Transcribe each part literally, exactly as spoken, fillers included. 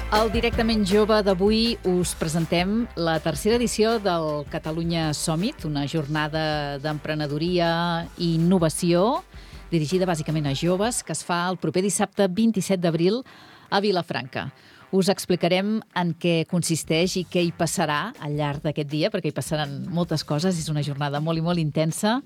Al Directament Jove d'avui us presentem la tercera edició del Catalunya Summit, una jornada d'emprenedoria i innovació dirigida bàsicament a joves que es fa el proper dissabte vint-i-set d'abril a Vilafranca. Us explicarem en què consisteix i què hi passarà al llarg d'aquest dia, perquè hi passaran moltes coses, és una jornada molt i molt intensa.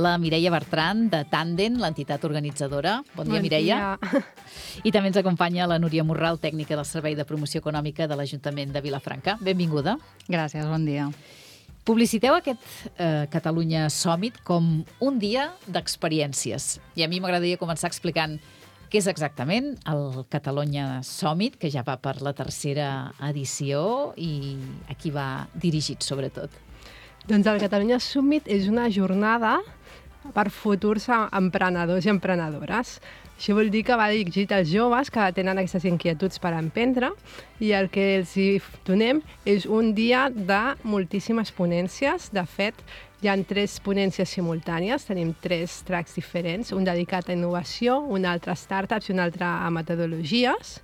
La Mireia Bertran, de Tandem, l'entitat organitzadora. Bon dia, bon Mireia. Dia. I també ens acompanya la Núria Morral, tècnica del Servei de Promoció Econòmica de l'Ajuntament de Vilafranca. Benvinguda. Gràcies, bon dia. Publiciteu aquest eh, Catalunya Summit com un dia d'experiències. I a mi m'agradaria començar explicant què és exactament el Catalunya Summit, que ja va per la tercera edició i a qui va dirigit, sobretot. Doncs el Catalunya Summit és una jornada per futurs emprenedors i emprenedores. Això vol dir que va dirigit als joves que tenen aquestes inquietuds per emprendre i el que els hi donem és un dia de moltíssimes ponències. De fet, hi ha tres ponències simultànies, tenim tres tracks diferents, un dedicat a innovació, un altre a startups i un altre a metodologies.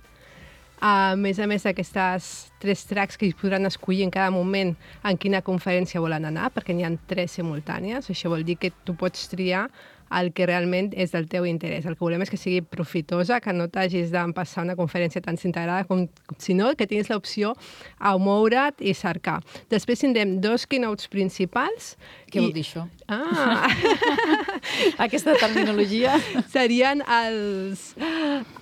A més a més d'aquestes tres tracks que es podran escollir en cada moment en quina conferència volen anar, perquè n'hi ha tres simultànies. Això vol dir que tu pots triar el que realment és del teu interès. El que volem és que sigui profitosa, que no t'hagis d'empassar una conferència tan integrada com, sinó que tinguis l'opció a moure't i cercar. Després tindrem dos keynotes principals. Què i... vol dir això? Ah! Aquesta terminologia. Serien els,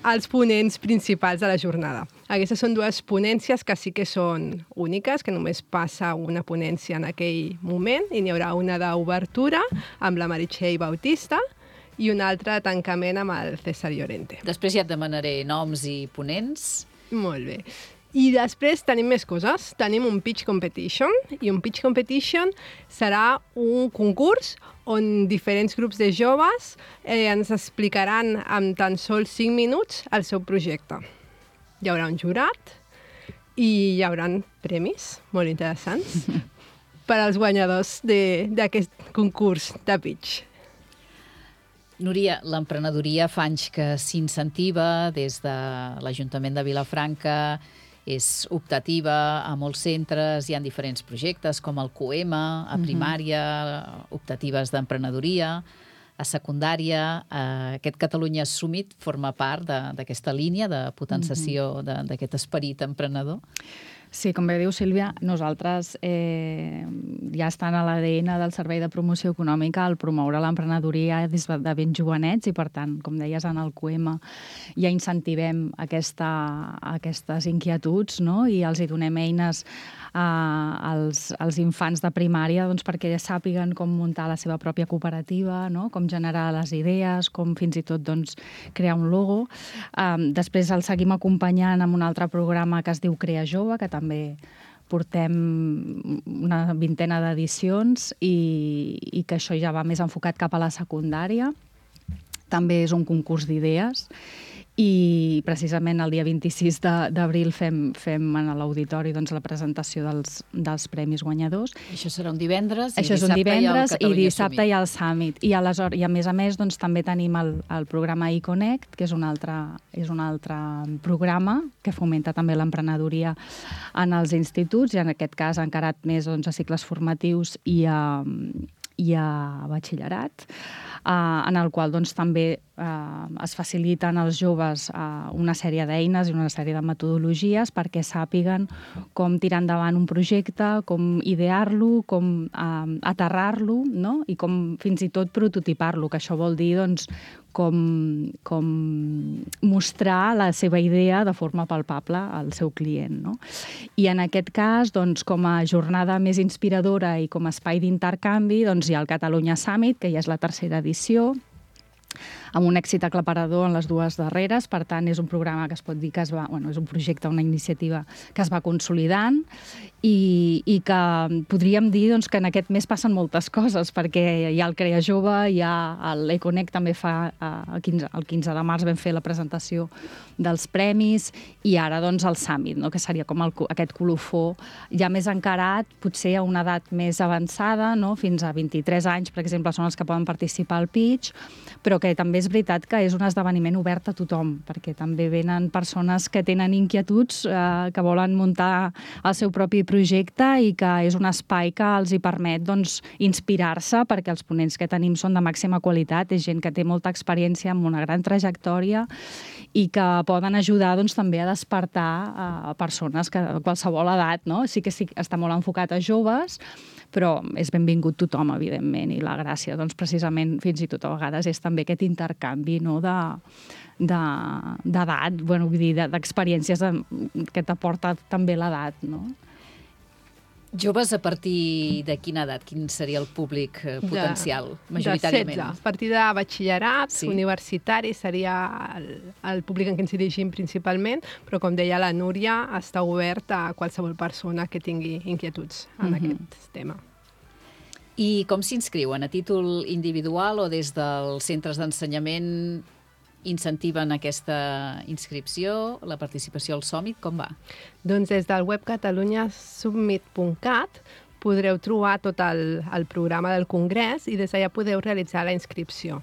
els ponents principals de la jornada. Aquestes són dues ponències que sí que són úniques, que només passa una ponència en aquell moment, i n'hi haurà una d'obertura amb la Meritxell Bautista i una altra de tancament amb el César Llorente. Després ja et demanaré noms i ponents. Molt bé. I després tenim més coses. Tenim un pitch competition, i un pitch competition serà un concurs on diferents grups de joves eh, ens explicaran en tan sols cinc minuts el seu projecte. Hi haurà un jurat i hi haurà premis molt interessants per als guanyadors d'aquest concurs de pitch. Núria, l'emprenedoria fa anys que s'incentiva des de l'Ajuntament de Vilafranca, és optativa a molts centres, hi ha diferents projectes com el COEMA, a primària, optatives d'emprenedoria, a secundària. Eh, aquest Catalunya Summit forma part d'aquesta línia de potenciació d'aquest esperit emprenedor? Sí, com bé diu Sílvia, nosaltres eh, ja estan a l'A D N del Servei de Promoció Econòmica el promoure l'emprenedoria des de ben jovenets i, per tant, com deies, en el COEMA ja incentivem aquesta, aquestes inquietuds, no? I els hi donem eines eh, als, als infants de primària doncs, perquè ja sàpiguen com muntar la seva pròpia cooperativa, no? Com generar les idees, com fins i tot doncs, crear un logo. Eh, després el seguim acompanyant amb un altre programa que es diu Crea Jove, que també també portem una vintena d'edicions i, i que això ja va més enfocat cap a la secundària. També és un concurs d'idees i precisament el dia vint-i-sis d'abril fem, fem en l'auditori doncs, la presentació dels, dels premis guanyadors. Això serà un divendres i Això dissabte és un divendres, hi ha el i dissabte hi ha el Summit. I, aleshores, i a més a més doncs, també tenim el, el programa iConnect, que és un, altre, és un altre programa que fomenta també l'emprenedoria en els instituts i en aquest cas encarat més doncs, a cicles formatius i a, i a batxillerat, eh, en el qual doncs, també eh, es faciliten als joves eh, una sèrie d'eines i una sèrie de metodologies perquè sàpiguen com tirar endavant un projecte, com idear-lo, com eh, aterrar-lo, no? I com fins i tot prototipar-lo, que això vol dir doncs, com, com mostrar la seva idea de forma palpable al seu client, no? I en aquest cas, doncs, com a jornada més inspiradora i com a espai d'intercanvi, doncs, hi ha el Catalunya Summit, que ja és la tercera edició, amb un èxit aclaparador en les dues darreres. Per tant, és un programa que es pot dir que es va, bueno, és un projecte, una iniciativa que es va consolidant i, i que podríem dir doncs, que en aquest mes passen moltes coses, perquè hi ha el Crea Jove, hi ha l'Econnect, també fa el quinze, el quinze de març vam fer la presentació dels premis, i ara doncs el Summit, no? Que seria com el, aquest colofó ja més encarat, potser a una edat més avançada, no? Fins a vint-i-tres anys, per exemple, són els que poden participar al pitch, però que també és veritat que és un esdeveniment obert a tothom, perquè també venen persones que tenen inquietuds, eh, que volen muntar el seu propi projecte i que és un espai que els hi permet doncs, inspirar-se, perquè els ponents que tenim són de màxima qualitat, és gent que té molta experiència amb una gran trajectòria i que poden ajudar doncs, també a despertar a persones que, de qualsevol edat. No? Sí que sí, està molt enfocat a joves, però és benvingut tothom, evidentment, i la gràcia, doncs, precisament, fins i tot a vegades, és també aquest intercanvi, no?, de d'edat, bueno, vull dir, d'experiències que t'aporta també l'edat, no? Joves a partir de quina edat? Quin seria el públic potencial, de, majoritàriament? De setze. A partir de batxillerat, sí. Universitari, seria el, el públic en què ens dirigim principalment, però, com deia la Núria, està obert a qualsevol persona que tingui inquietuds en mm-hmm. aquest tema. I com s'inscriuen? A títol individual o des dels centres d'ensenyament incentiven aquesta inscripció, la participació al Summit? Com va? Doncs des del web catalunya summit punt cat podreu trobar tot el, el programa del congrés i des d'allà podeu realitzar la inscripció.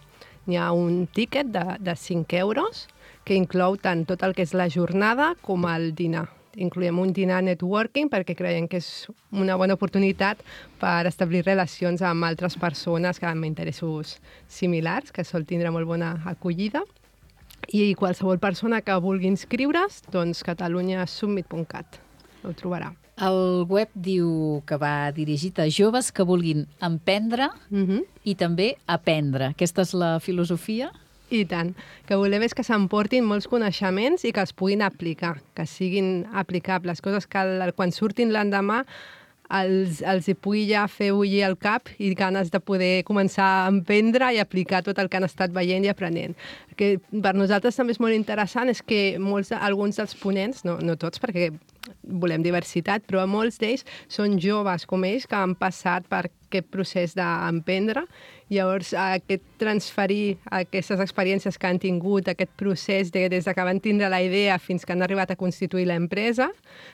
Hi ha un tíquet de, de cinc euros que inclou tant tot el que és la jornada com el dinar. Incloem un dinar networking perquè creiem que és una bona oportunitat per establir relacions amb altres persones que amb interessos similars, que sol tindre molt bona acollida. I qualsevol persona que vulgui inscriure's, doncs catalunya summit punt cat ho trobarà. El web diu que va dirigit a joves que vulguin emprendre mm-hmm. i també aprendre. Aquesta és la filosofia? I tant. Que volem és que s'emportin molts coneixements i que els puguin aplicar, que siguin aplicables, coses que quan surtin l'endemà els, els hi pugui ja fer bullir el cap i ganes de poder començar a emprendre i aplicar tot el que han estat veient i aprenent. Que per nosaltres també és molt interessant és que molts, alguns dels ponents, no, no tots perquè volem diversitat, però molts d'ells són joves com ells que han passat per aquest procés d'emprendre. Llavors, aquest transferir aquestes experiències que han tingut, aquest procés de, des que van tindre la idea fins que han arribat a constituir l'empresa,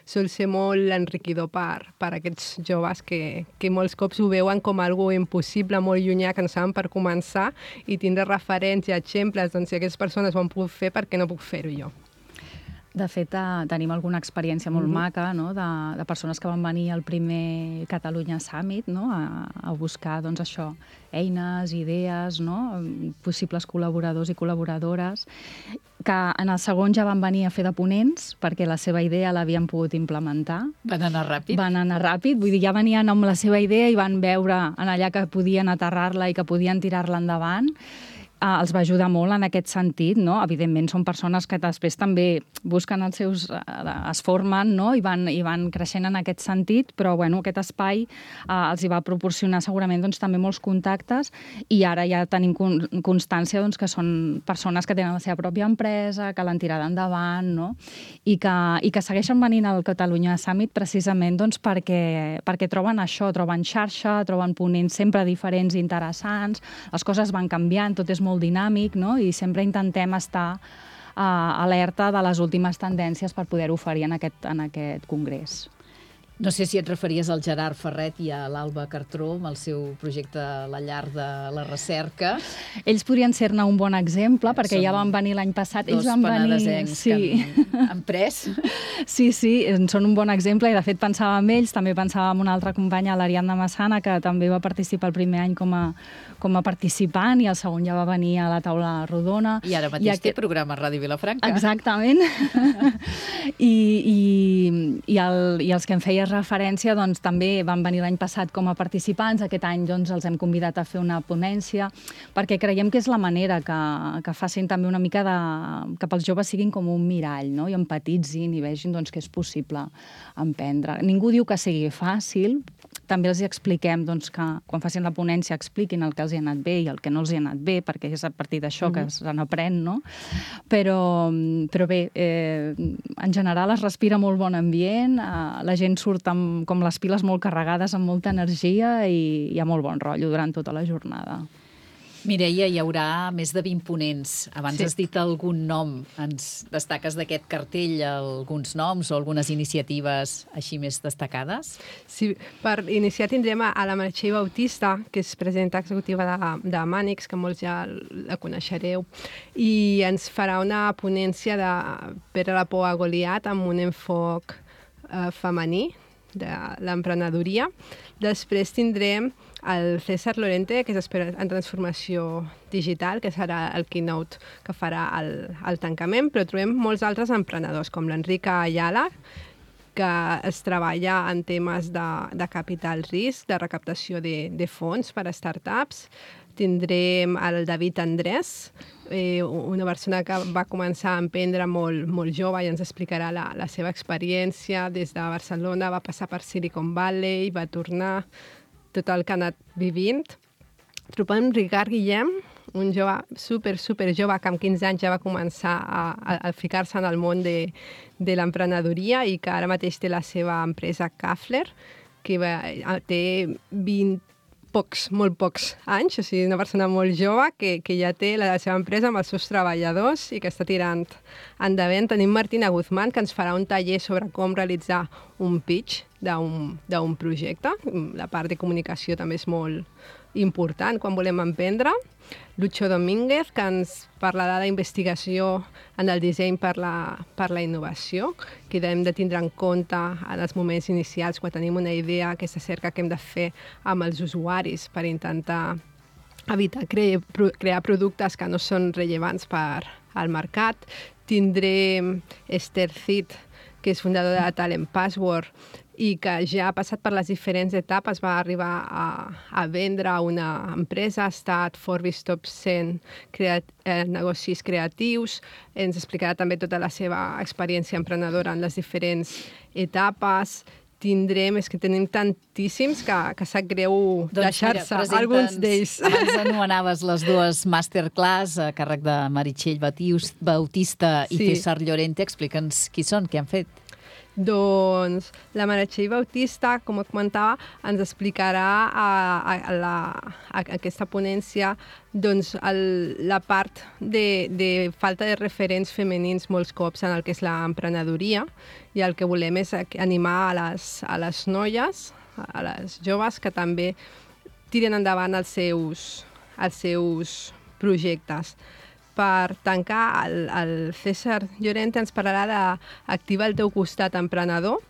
sol ser molt enriquidor per, per aquests joves que, que molts cops ho veuen com algo impossible, molt llunyà, que no saben per començar, i tindre referents i exemples, doncs si aquestes persones ho han pogut fer, per què no puc fer-ho jo? De fet, eh, tenim alguna experiència molt mm-hmm. maca, no?, de, de persones que van venir al primer Catalunya Summit, no?, a, a buscar, doncs, això, eines, idees, no?, possibles col·laboradors i col·laboradores, que en el segon ja van venir a fer de ponents perquè la seva idea l'havien pogut implementar. Van anar ràpid? Van anar ràpid, vull dir, ja venien amb la seva idea i van veure en allà que podien aterrar-la i que podien tirar-la endavant. Uh, els va ajudar molt en aquest sentit, no? Evidentment són persones que després també busquen els seus... Uh, es formen, no? I van, i van creixent en aquest sentit, però bueno, aquest espai uh, els hi va proporcionar segurament doncs, també molts contactes i ara ja tenim con constància doncs, que són persones que tenen la seva pròpia empresa, que l'han tirada endavant, no? I que, i que segueixen venint al Catalunya Summit precisament doncs, perquè, perquè troben això, troben xarxa, troben ponents sempre diferents i interessants, les coses van canviant, tot és molt dinàmic, no? I sempre intentem estar uh, alerta de les últimes tendències per poder-ho oferir en aquest, en aquest congrés. No sé si et referies al Gerard Ferret i a l'Alba Cartró amb el seu projecte La Llar de la Recerca. Ells podrien ser-ne un bon exemple, perquè Som ja van venir l'any passat. Dos penedesencs sí. que han, han pres. Sí, sí, són un bon exemple i de fet pensava en ells, també pensava en una altra companya, l'Ariadna Massana, que també va participar el primer any com a, com a participant i el segon ja va venir a la taula rodona. I ara mateix I aquest... té programa a Ràdio Vilafranca. Exactament. I, i, i, el, I els que em feia referència doncs, també van venir l'any passat com a participants. Aquest any doncs, els hem convidat a fer una ponència perquè creiem que és la manera que, que facin també una mica de... que pels joves siguin com un mirall, no? I empatitzin i vegin doncs, que és possible emprendre. Ningú diu que sigui fàcil, també els expliquem doncs, que quan facin la ponència expliquin el que els hi ha anat bé i el que no els hi ha anat bé, perquè és a partir d'això mm-hmm. que se n'aprèn, no? Però, però bé, eh, en general es respira molt bon ambient, eh, la gent surt amb, com les piles molt carregades, amb molta energia i hi ha molt bon rotllo durant tota la jornada. Mireia, hi haurà més de vint ponents. Abans Sí. has dit algun nom. Ens destaques d'aquest cartell alguns noms o algunes iniciatives així més destacades? Sí, per iniciar tindrem a la Meritxell Bautista, que és presidenta executiva de, de Mànix, que molts ja la coneixereu, i ens farà una ponència de Pere la por a Goliat amb un enfoc eh, femení de l'emprenedoria. Després tindrem el César Llorente, que és expert en transformació digital, que serà el keynote que farà el, el tancament, però trobem molts altres emprenedors, com l'Enrica Ayala, que es treballa en temes de, de capital risc, de recaptació de, de fons per a startups. Tindrem el David Andrés, eh, una persona que va començar a emprendre molt, molt jove i ens explicarà la, la seva experiència des de Barcelona, va passar per Silicon Valley, va tornar, tot el que ha anat vivint. Trobem Ricard Guillem, un jove super, super jove que amb quinze anys ja va començar a, a, a ficar-se en el món de, de l'emprenedoria i que ara mateix té la seva empresa Kafler, que va, té vint pocs, molt pocs anys, o sigui, una persona molt jove que, que ja té la seva empresa amb els seus treballadors i que està tirant endavant. Tenim Martina Guzmán, que ens farà un taller sobre com realitzar un pitch d'un projecte. La part de comunicació també és molt important quan volem emprendre. Lucho Domínguez, que ens parlarà d'investigació en el disseny per la, per la innovació, que hem de tindre en compte en els moments inicials quan tenim una idea, aquesta cerca que hem de fer amb els usuaris per intentar evitar cre crear productes que no són rellevants per al mercat. Tindrem Esther Cid, que és fundadora de Talent Password, i que ja ha passat per les diferents etapes, va arribar a, a vendre una empresa, ha estat Forbes Top cent creat, eh, negocis creatius, ens explicarà també tota la seva experiència emprenedora en les diferents etapes. Tindrem, és que tenim tantíssims que, que sap greu doncs deixar-se alguns d'ells. Abans anomenaves les dues masterclass a càrrec de Meritxell Bautista i Sí. César Llorente. Explica'ns qui són, què han fet. Doncs la Meritxell Bautista, com comentava, ens explicarà a, a, a, la, a aquesta ponència doncs, el, la part de, de falta de referents femenins molts cops en el que és l'emprenedoria, i el que volem és animar a les, a les noies, a les joves, que també tiren endavant els seus, els seus projectes. Per tancar, el, el César Llorente ens parlarà d'activar el teu costat emprenedor,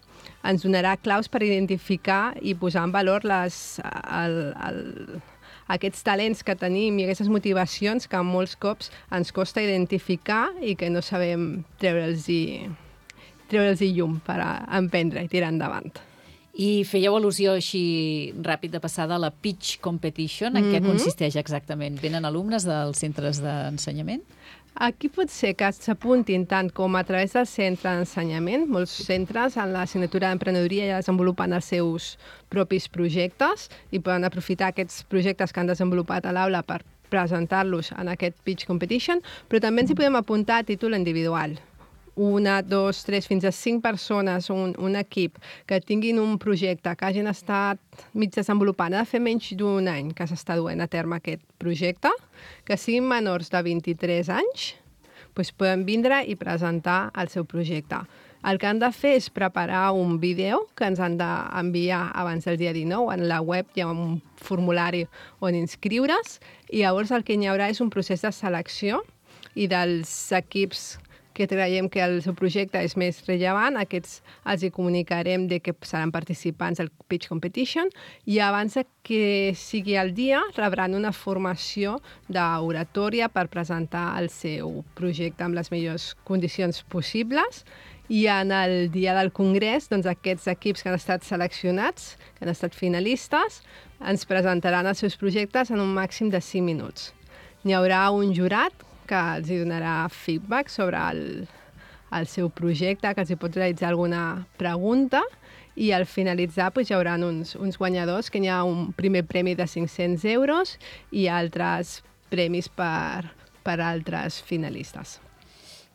ens donarà claus per identificar i posar en valor les, el, el, aquests talents que tenim i aquestes motivacions que molts cops ens costa identificar i que no sabem treure'ls-hi treure'ls-hi llum per a emprendre i tirar endavant. I fèieu al·lusió així ràpid de passada a la Pitch Competition. En què Mhm. consisteix exactament? Venen alumnes dels centres d'ensenyament? Aquí pot ser que s'apuntin tant com a través del centre d'ensenyament. Molts centres en l'assignatura d'emprenedoria ja desenvolupen els seus propis projectes i poden aprofitar aquests projectes que han desenvolupat a l'aula per presentar-los en aquest Pitch Competition, però també ens hi podem apuntar a títol individual. Una, dos, tres, fins a cinc persones, un, un equip que tinguin un projecte que hagin estat mig desenvolupant, ha de fer menys d'un any que s'està duent a terme aquest projecte, que siguin menors de vint-i-tres anys, doncs poden vindre i presentar el seu projecte. El que han de fer és preparar un vídeo que ens han d'enviar abans del dia dinou. En la web hi ha un formulari on inscriure's i llavors el que hi haurà és un procés de selecció i dels equips que creiem que el seu projecte és més rellevant, aquests els hi comunicarem de que seran participants del Pitch Competition i abans que sigui el dia rebran una formació d'oratòria per presentar el seu projecte amb les millors condicions possibles i en el dia del congrés doncs, aquests equips que han estat seleccionats, que han estat finalistes, ens presentaran els seus projectes en un màxim de cinc minuts. N'hi haurà un jurat que els donarà feedback sobre el, el seu projecte, que els hi pot realitzar alguna pregunta i al finalitzar doncs, hi haurà uns, uns guanyadors, que hi ha un primer premi de cinc-cents euros i altres premis per, per altres finalistes.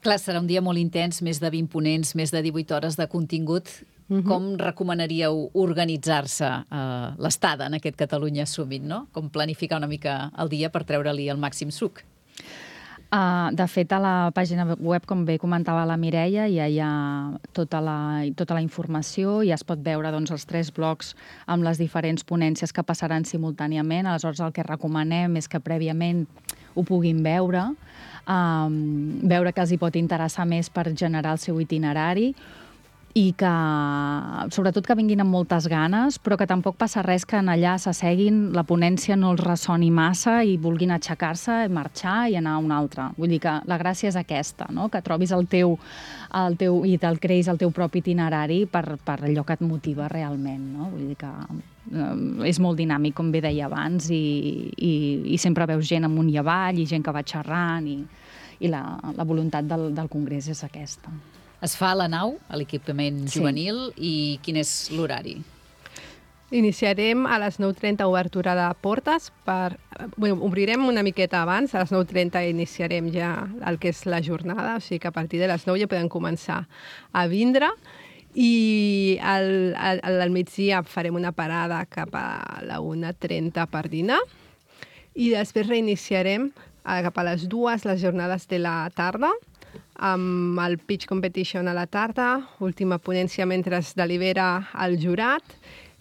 Clar, serà un dia molt intens, més de vint ponents, més de divuit hores de contingut. Uh-huh. Com recomanaríeu organitzar-se uh, l'estada en aquest Catalunya Summit, no? Com planificar una mica el dia per treure-li el màxim suc? Uh, de fet, a la pàgina web, com bé comentava la Mireia, ja hi ha tota la, tota la informació i es pot veure doncs, els tres blocs amb les diferents ponències que passaran simultàniament. Aleshores, el que recomanem és que prèviament ho puguin veure, um, veure que els hi pot interessar més per generar el seu itinerari, i que, sobretot, que vinguin amb moltes ganes, però que tampoc passa res que en allà s'asseguin, la ponència no els ressoni massa i vulguin aixecar-se, marxar i anar a un altre. Vull dir que la gràcia és aquesta, no? Que trobis el teu, el teu i te'l creïs el teu propi itinerari per, per allò que et motiva realment, no? Vull dir que eh, és molt dinàmic, com bé deia abans, i, i, i sempre veus gent amunt i avall i gent que va xerrant i, i la, la voluntat del, del congrés és aquesta. Es fa a la nau, a l'equipament juvenil, sí. I quin és l'horari? Iniciarem a les nou trenta obertura de portes. Per, bueno, obrirem una miqueta abans, a les nou trenta iniciarem ja el que és la jornada, o sigui que a partir de les nou ja podem començar a vindre. I al, al, al migdia farem una parada cap a la una trenta per dinar i després reiniciarem cap a les dues les jornades de la tarda, amb el pitch competition a la tarda, última ponència mentre es delibera el jurat,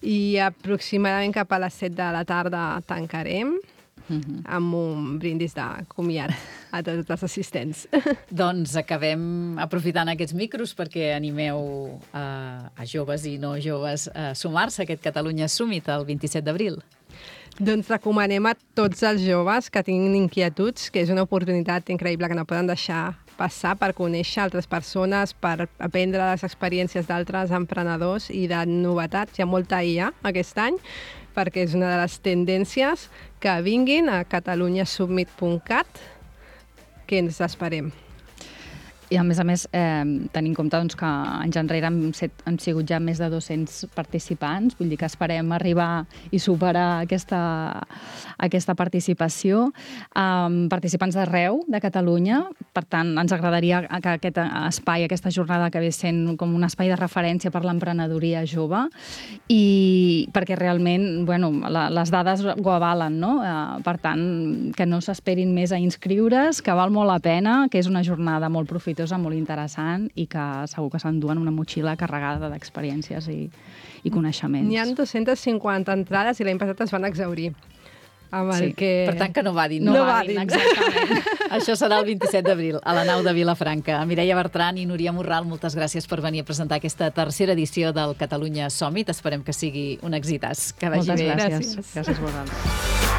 i aproximadament cap a les set de la tarda tancarem uh-huh. amb un brindis de comiat a tots els assistents. Doncs acabem aprofitant aquests micros perquè animeu a, a joves i no joves a sumar-se a aquest Catalunya Summit el vint-i-set d'abril. Doncs recomanem a tots els joves que tinguin inquietuds, que és una oportunitat increïble que no poden deixar passar per conèixer altres persones, per aprendre les experiències d'altres emprenedors i de novetats. Hi ha molta I A aquest any, perquè és una de les tendències. Que vinguin a catalunya summit punt cat, que ens esperem. I, a més a més, eh, tenint en compte doncs, que anys enrere hem, set, hem sigut ja més de dos-cents participants, vull dir que esperem arribar i superar aquesta, aquesta participació. Um, participants d'arreu de Catalunya, per tant, ens agradaria que aquest espai, aquesta jornada que ve sent com un espai de referència per l'emprenedoria jove, i perquè realment, bueno, la, les dades ho avalen, no? Uh, per tant, que no s'esperin més a inscriure's, que val molt la pena, que és una jornada molt profitosa, molt interessant i que segur que s'enduen una motxilla carregada d'experiències i, i coneixements. N'hi ha dos-centes cinquanta entrades i l'any passat es van exhaurir. Amb el sí, que... per tant que no vadin. No, no vadin, exactament. Això serà el vint-i-set d'abril, a la nau de Vilafranca. Mireia Bertran i Núria Morral, moltes gràcies per venir a presentar aquesta tercera edició del Catalunya Summit. Esperem que sigui un exitàs. Que vagi moltes bé. gràcies. Gràcies, gràcies vosaltres.